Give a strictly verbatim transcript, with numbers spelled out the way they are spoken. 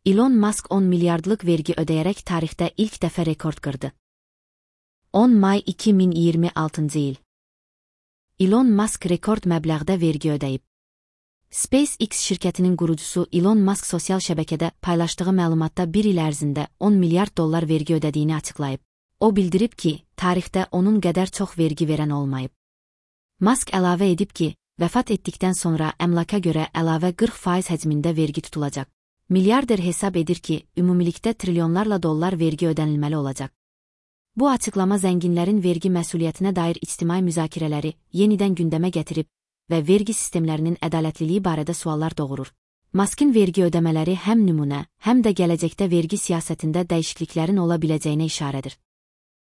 Elon Musk on milyardlıq vergi ödəyərək tarixdə ilk dəfə rekord qırdı. on may iki min iyirmi altıncı il. Elon Musk rekord məbləğdə vergi ödəyib. SpaceX şirkətinin qurucusu Elon Musk sosial şəbəkədə paylaşdığı məlumatda bir il ərzində on milyard dollar vergi ödədiyini açıqlayıb. O bildirib ki, tarixdə onun qədər çox vergi verən olmayıb. Musk əlavə edib ki, vəfat etdikdən sonra əmlaka görə əlavə qırx faiz həcmində vergi tutulacaq. Milyarder hesab edir ki, ümumilikdə trilyonlarla dollar vergi ödənilməli olacaq. Bu açıqlama zənginlərin vergi məsuliyyətinə dair ictimai müzakirələri yenidən gündəmə gətirib və vergi sistemlərinin ədalətliliyi barədə suallar doğurur. Musk'ın vergi ödəmələri həm nümunə, həm də gələcəkdə vergi siyasətində dəyişikliklərin ola biləcəyinə işarədir.